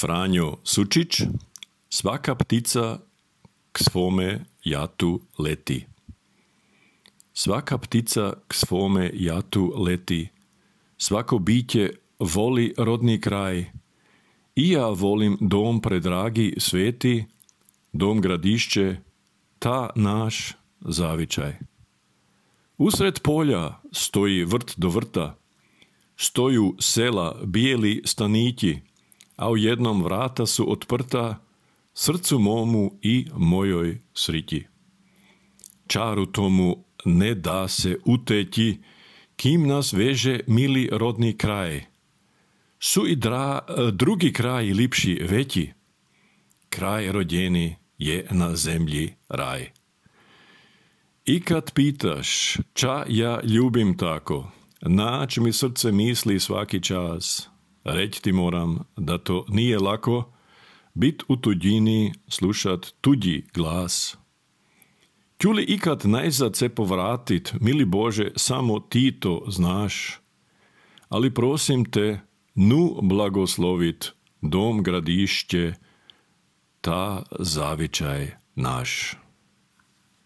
Franjo Sučić, svaka ptica k svome jatu leti. Svaka ptica k svome jatu leti. Svako biće voli rodni kraj. I ja volim dom predragi sveti, dom Gradišće, ta naš zavičaj. Usred polja stoji vrt do vrta, stoju sela bijeli stanići, a u jednom vrata su otprta, srcu momu i mojoj srići. Čaru tomu ne da se uteći, kim nas veže mili rodni kraj. Su i drugi kraj lipši veći, kraj rođeni je na zemlji raj. I kad pitaš, ča ja ljubim tako, nać mi srce misli svaki čas, reći ti moram da to nije lako, bit u tuđini, slušat tuđi glas. Ću li ikad najzad se povratit, mili Bože, samo ti to znaš, ali prosim te, nu blagoslovit dom Gradišće, ta zavičaj naš.